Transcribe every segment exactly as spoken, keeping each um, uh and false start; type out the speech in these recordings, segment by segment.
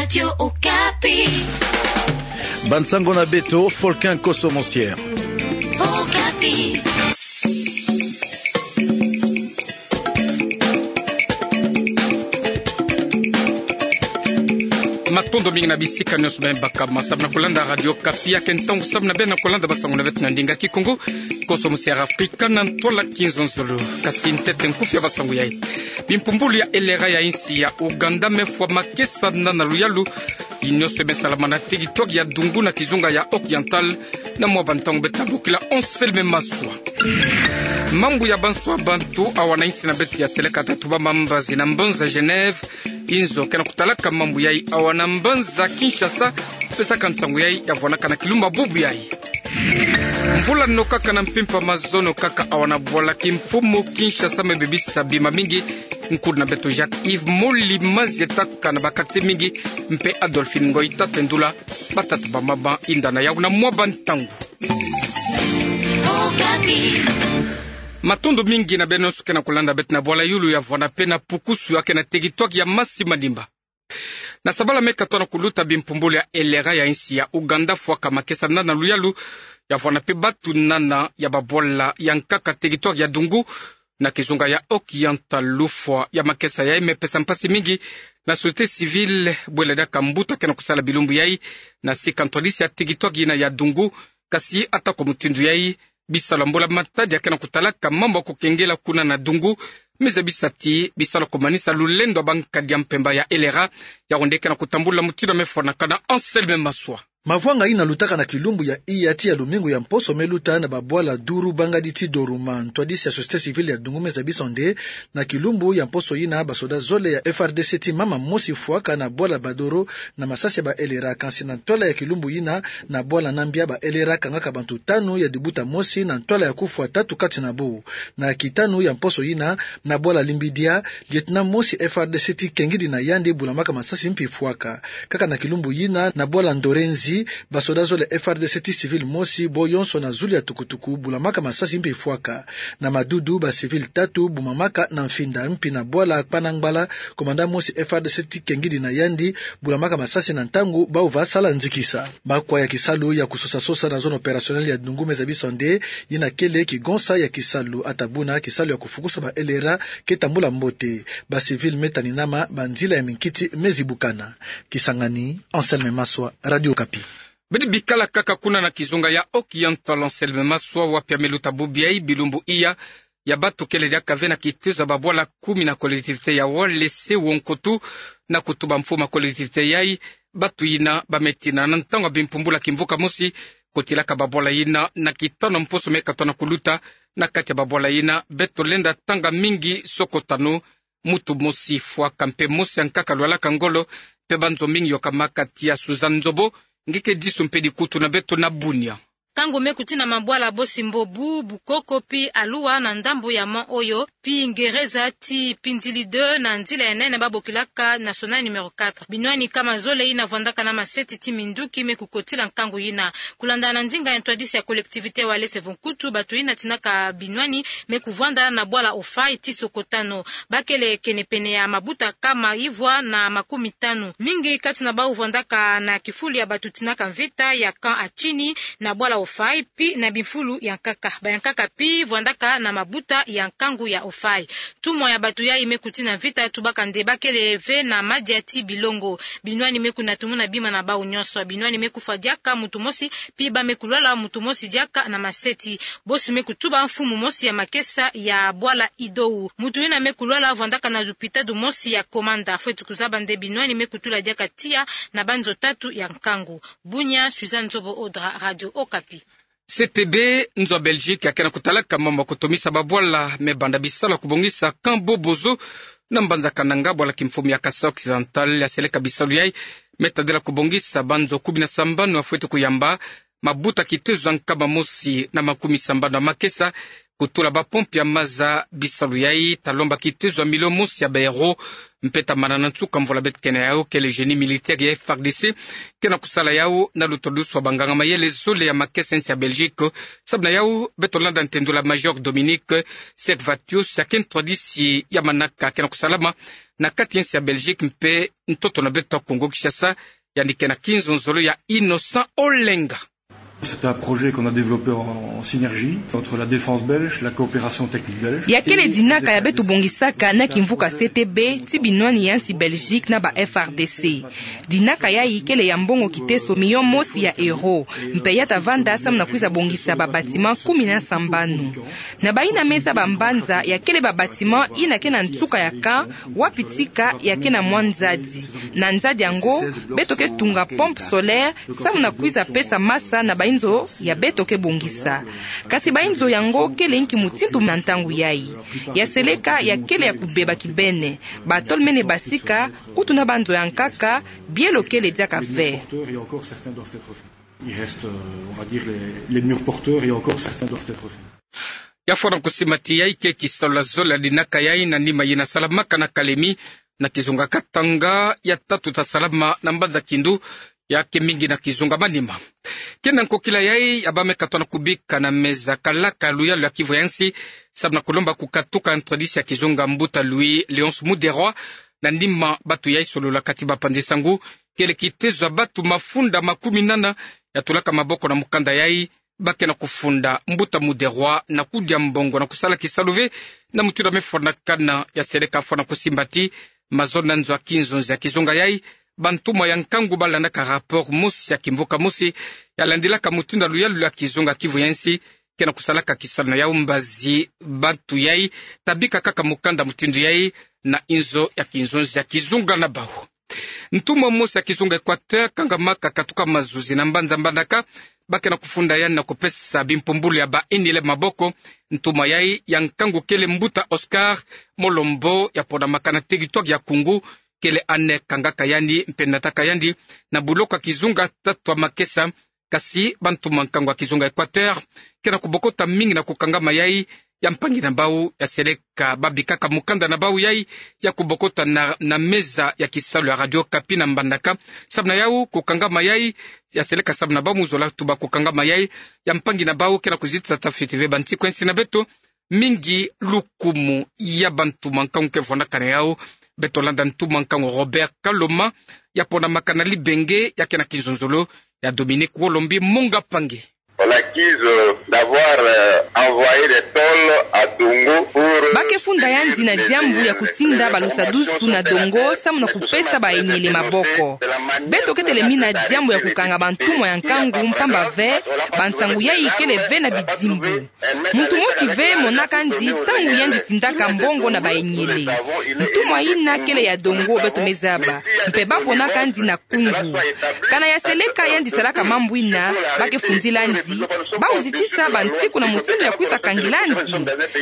Radio Okapi. Bansango na beto, Folkin Koso Monsier. Okapi. Matondo mingi na bisika nyonso beno bakama samu na kulanda Radio Okapi. Ya ke ntangu samu na beno na kulanda basango na beto na ndinga Kikongo, Koso Monsier Afrika na ntwala Kinzonzolo. Kasi ntete nkufi ya basango yai. Bimpumbulu ya L R A ya insi ya Ouganda me fwa makesa na luyalu. Yi nyonso me salamana na teritware ya Dungu na kizunga ya Oriental, na mwa bantangu beto na bokila Anselme Maswa. Mambu ya banswa bantu awa na insi na beto ya seleka tatu ba mambazi na mbanza Genève, inzo ke na kutalaka mambu yai awa na mbanza Kinshasa, pesaka ntangu yai ya vwanaka na kilumbu bubu yai. Mvula nokaka na mpimpa mazono kaka awa na bwala kimfumu Kinshasa me bebisa bima mingi. Nkutu na beto Jacques Yves Moli Mazieta kana ba kati mingi, mpe Adolphine Ngoy Tatendula, batata ba mama inda na yau na mwa bantangu. Matondo mingi na beno nyonso ke na kulanda beto na bwala yulu ya vwanda pe na pukusu ya ke na teritware ya Masi Manimba. Na sabala me katoa na kuluta, bimpumbulu ya L R A ya insi ya Ouganda fwaka makesa na luyalu ya vwanda pe batu nana ya babwala ya nkaka teritware ya Dungu na kizunga ya Oriental. Lufwa ya makesa yai me pesa mpasi mingi na société civile bwela diaka mbuta ke na kusala bilumbu yai na sika ntwadisi ya teritware yina ya Dungu. Kasi atako mutindu yai, bisalu ya mbula-matadi ya ke na kutalaka mambu ya kukengela kuna na Dungu me zabisa ti bisalu ya kumanisa lulendo ya bankadi ya mpemba ya L R A, yawu nde ke na kutambula mutindu ya me fwanakana. Anselme Maswa. Mavwanga yina lutaka na kilumbu ya iya tii ya lumingu ya mposo me luta na babwala Duru, Bangadi tii Doruma. Ntwadisi ya société civile ya Dungu me zabisa nde na kilumbu ya mposo yina basoda zole ya F R D C tii mama mosi fwaka na bwala Badoro na masasi ya ba L R A. Kansi na ntwala ya kilumbu yina, na bwala Nambia, ba L R A kangaka bantu tanu ya dibuta mosi na ntwala ya kufwa tatu kati na bau. Na kitanu ya mposo yina, na bwala Limbidia, lieutenant mosi F R D C tii kengidi na yandi, bulamaka masasi mpi fwaka. Kaka na kilumbu yina, na bwala Ndorenzi, basoda zole F R D C tii civil mosi, bo yonso na zulu ya tukutuku, bulamaka masasi mpi fwaka. Na Madudu, ba civil tatu bumamaka na mfinda. Mpi na bwala Kpanangbala, commandant mosi F R D C tii kengidi na yandi, bulamaka masasi na ntangu bau va sala nzikisa. Makwa ya kisalu ya kusosa-sosa na zone opérationnelle ya Dungu me zabisa nde yina kele kigonsa ya kisalu. Ata buna, kisalu ya kufukusa ba L R A ke tambula mbote. Ba civil me taninama, banzila ya minkiti me zibukana. Kisangani, Anselme Maswa, Radio Okapi. Bidi bikala kaka kuna na kizunga ya Oriental, Anselme Maswa, wapi ya me luta bubu yai, bilumbu iya ya batu kele diaka ve na kitezo ya babwala kumi na collectivité ya Walese-Wonkoutou, na kutuba mfumu ya collectivité yai, batu yina ba me tina na ntangu ya bimpumbulu ya kimvuka mosi, kotilaka babwala yina na kitanu ya mposo me katoa na kuluta. Na kati ya babwala yina, beto lenda tanga mingi soko tanu, mutu mosi fwaka mpe mosi ya nkaka lwalaka ngolo, mpe banzo mingi yokamaka. Tia Suzanne Nzobo, nge ke disu mpe dikutu na beto na Bunia. Nkangu me kutina mabwala Bosi-Mbobu, Bukoko pi Alua na ndambu ya mont oyo, pi Ngereza ti Pindili deux na nzila ya nene ba bokilaka Nationale numéro quatre. Binwani kama zole yina vwandaka na maseti ti minduki me kukotila nkangu yina. Kulanda na ndinga ya ntwadisi ya collectivité Walese-Wonkoutou, batu yina tinaka binwani me kuvwanda na bwala Ofai ti soko tanu. Ba kele kenepene ya mabuta kama ivwa na makumi tanu. Mingi kati na bau vwandaka na kifulu ya batu tinaka mvita ya camp Atchini na bwala Ofai, pi na bimfulu ya nkaka. Bayankaka pi vwandaka na mabuta ya nkangu ya Ofai. Ntumwa ya batu yai me kutina mvita tubaka nde ba kele ve na madia ti bilongo. Binwani me kunatumuna bima na bau nyonso. Binwani me kufwa diaka mutu mosi, pi ba me kulwala mutu mosi diaka na maseti. Bosi me kutuba mfumu mosi ya makesa ya bwala Idou. Mutu yina me kulwala vwandaka na lupitalu mosi ya Komanda. Fweti kuzaba nde binwani me kutula diaka tiya na banzo tatu ya nkangu. Bunia, Suzanne Nzobo Odra, Radio Okapi. C T B, nzo ya Belgique, ya ke na kutalaka mambu ya kutomisa babwala me banda bisalu ya kubongisa camp Bobozo na mbanza Kananga, bwala kimfumu ya Kasaï Occidental, ya seleka bisalu yai me tadila kubongisa banzo kumi na sambanu ya fweti kuyamba mabuta kitezo ya nkama mosi na makumi sambanu ya makesa, kutula bapompe ya maza bisalu yai, talomba kitezo ya milio mosi ya baeuro, mpe tamana na nsuka mvula beto kena yau, kele génie militaire ya F R D C kena kusala yau na lutodusu wa banganga-mayele zole ya makesa ya nsi ya Belgique. Sababu na yau, beto landa ntendula Major Dominique Servatius, ya ke ntwadisi ya manaka kena kusalama na kati ya nsi ya Belgique mpe ntoto na beto Kongo Kinshasa, yandi kena kinzonzolo ya Innocent Olenga. C'est un projet qu'on a développé en, en synergie entre la défense belge, la coopération technique belge. Ya kele dinaka ya beto bongisaka na kimvuka C T B, ti binwani ya nsi Belgique na ba F R D C. Dinaka yai kele ya mbongo kiteso milio mosi ya euro, mpe ya tavanda samu na kwiza bongisa ba bâtiment kumi na sambanu. Na bayi na meza ba mbanza, ya kele ba bâtiment ina kena nsuka ya camp, wapi tika ya kena mwa nzadi. Na nzadi yango, beto ke tunga pompe solaire, samu na kwiza pesa masa na bainzo ya beto ke bongisa. Kasi bainzo yango kele inki mutindu na ntangu yai? Ya seleka ya kele ya kubeba kibene. Batole mene basika, kutu na banzo ya nkaka, bielo kele diaka ve. Il reste, euh, on va dire, les, les murs porteurs, et encore certains doivent être faits. Ya fwana kusimbati yai ke kisalu ya zole ya dinaka yai na nima yina salamaka na Kalemi, na kizunga Katanga, ya tatu tasalama na mbanza Kindu, ya ke mingi na kizunga Maniema. Kena nkokila yai ya bameka tona kubika na meza kalaka luyalu ya Kivu ya nsi, samu na kulomba kukatuka ntwadisi ya kizunga mbuta Louis Léonce Muderwa, na nima batu yai solola kati bapanzi nsangu, kele kitezo ya batu mafunda makumi nana ya tulaka maboko na mukanda yai, ba kena kufunda mbuta Muderwa na kudia mbongo na kusala kisalu ve, na mutindu ya mefwanakana. Ya seleka fwana kusimbati mazono na nzo ya kinzonzi ya kizunga yai, bantumwa ya nkangu balandaka rapport mosi ya kimvuka mosi ya landilaka mutindu ya luyalu ya kizunga Kivu ya nsi kena kusalaka kisalu na yau. Mbazi batu yai tabika kaka mukanda mutindu yai na inzo ya kinzonzi ya kizunga na bau. Ntumwa mosi ya kizunga Équateur kangamaka katuka mazuzi na mbanza Mbandaka, ba kena kufunda yandi na kupesa bimpumbulu ya baenyele maboko. Ntumwa yai ya nkangu kele mbuta Oscar Molombo, ya ponamaka na territoire ya Koungou, kele ane kangaka yandi mpe nataka yandi na buloko ya kizunga tatu ya makesa. Kasi bantumwa nkangu ya kizunga Équateur kena kubokota mingi na kukangama yai ya mpangi na bau. Ya seleka babikaka mukanda na bau yai ya kubokota na, na meza ya kisalu ya Radio Okapi na Mbandaka. Samu na yau kukangama yai, ya seleka samu na bau mu zola tuba kukangama yai ya mpangi na bau kena kuzitisa tafiti ve bansiku ya nsi na beto mingi lukumu ya bantumwa nkangu ke fwanakana yau. Beto landa ntumwa nkangu Robert Kaloma, ya ponamaka na Libenge, ya kena kinzonzolo ya Dominique Wolombi Munga Pangi. On l'accuse d'avoir, euh, envoyé des tôles à Dongo pour... Ba ke funda yandi na diambu ya kutinda balusadusu na Dongo samu na kupesa baenyele maboko. Beto ke telemina diambu ya kukanga bantumwa ya nkangu mpamba ve bansangu yai kele ve na bidimbu. Muntu mosi ve monaka yandi ntangu yandi tindaka mbongo na baenyele. Ntumwa yina kele ya Dongo, beto mezaba, mpe ba ponaka yandi na Koungou. Kana ya seleka yandi salaka mambu yina ba ke fundila yandi, bau zitisa bansiku na mutindu ya kwiza kangila yandi.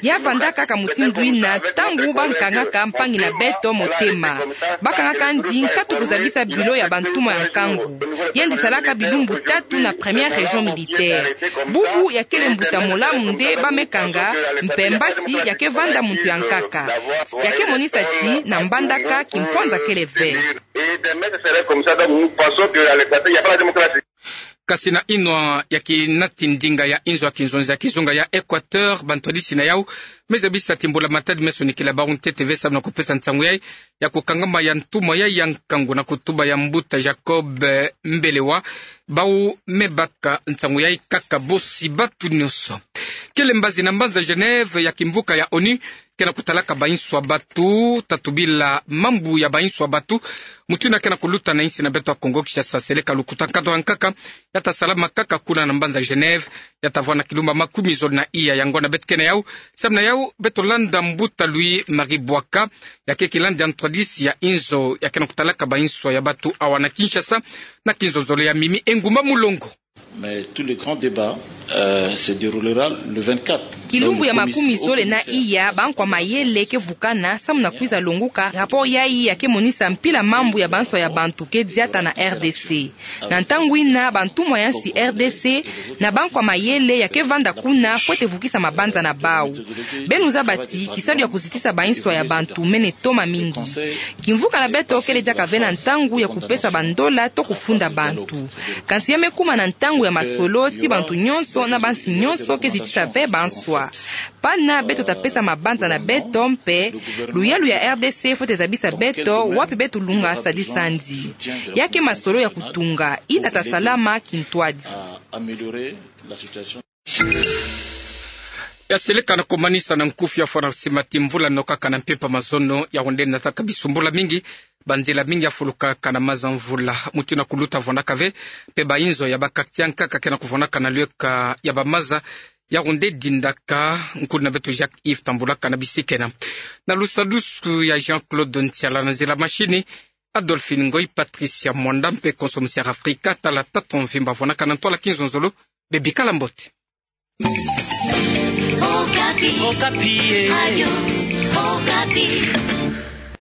Ya vandaka kaka mutindu yina ntangu ba nkangaka mpangi na beto motema. Ba kangaka yandi nkatu kuzabisa bureau ya bantumwa ya nkangu. Yandi salaka bilumbu tatu na première région militaire. Bubu ya kele mbuta molamu nde ba me kanga, mpe mbasi ya ke vanda muntu ya nkaka. Ya ke monisa ti na Mbandaka kimpwanza kele ve. Et demain, ce serait comme ça. Donc, nous pensons que à l'Équateur, il n'y a pas la démocratie. Kasi na inwa ya kinati ndinga ya inzo ya kinzonzi ya kizunga ya Équateur, bantwadisi na yau me zabisa ti mbula-matadi me sonikila bau ntete ve samu na kupesa nsangu yai ya kukangama ya ntumwa yai ya nkangu na kutuba ya mbuta Jacob, eh, Mbelewa. Bau me baka nsangu yai kaka bosi batu nyonso. Kele mbazi na mbanza Genève ya kimvuka ya ONU kena kutalaka bainso ya batu, tatu bila mambu ya bainso ya batu, mutindu yina kena kuluta na insi na beto ya Kongo Kinshasa. Seleka lukuta nkatu ya nkaka ya tasalama kaka kuna na mbanza Genève, ya tavwanda kilumba makumi zole na iya. Yango na beto kena yau, samu na yau beto landa mbuta Louis Marie Bouaka, ya ke kilandi ya ntwadisi ya inzo ya kena kutalaka bainso ya batu awa na Kinshasa, na kinzonzolo ya Mimi Engumba Mulongo. Mais tout le grand débat, euh, se déroulera le vingt-quatre. Kilumbu ya makumi zole na iya bankwa mayele ke vukana samu na kwiza longuka rapport yayi ya ke monisa mpila mambu ya banswa ya bantu ke diata na R D C. Na ntangu yina bantumwa ya nsi R D C na bankwa mayele ya ke vanda kuna fwete vukisa mabanza na bau. Beno zaba ti kisalu ya kuzitisa banswa ya bantu mene toma mingi. Kimvuka na beto kele diaka ve na ntangu ya kupesa bandola to kufunda bantu. Kansi ya me kuma na ntangu ya masolo ti bantu nyonso na bansi nyonso ke zitisa ve banswa. Pana beto ta pesa mabanza na beto mpe luyalu ya R D C fwete zabisa beto wapi beto lunga sadisa nzi. Ya ke masolo ya kutunga, yina ta salama kintwadi. Ya seleka na kumanisa na nkufi ya fwana sima ti mvula no kaka na mpempa mazono ya wende na taka bisumbula mingi. Banzila mingi ya fuluka kana maza mvula. Mutu na kuluta vonaka ve, mpe bainzo ya bakatiankaka ke na kuvonaka na lieka ya bamaza ya wende dindaka. Nkulu na beto Jacques Yves Tambulaka na bisika ena. Na lusadusu ya Jean-Claude Ntiala, na nzila mashini Adolphine Ngoy, Patricia Mwanda mpe Konso Musiara Afrika, tala tata mvimba vonaka na ntwala kinzonzolo, bebikala mbote. Okapi. Okapi, eh. Radio Okapi.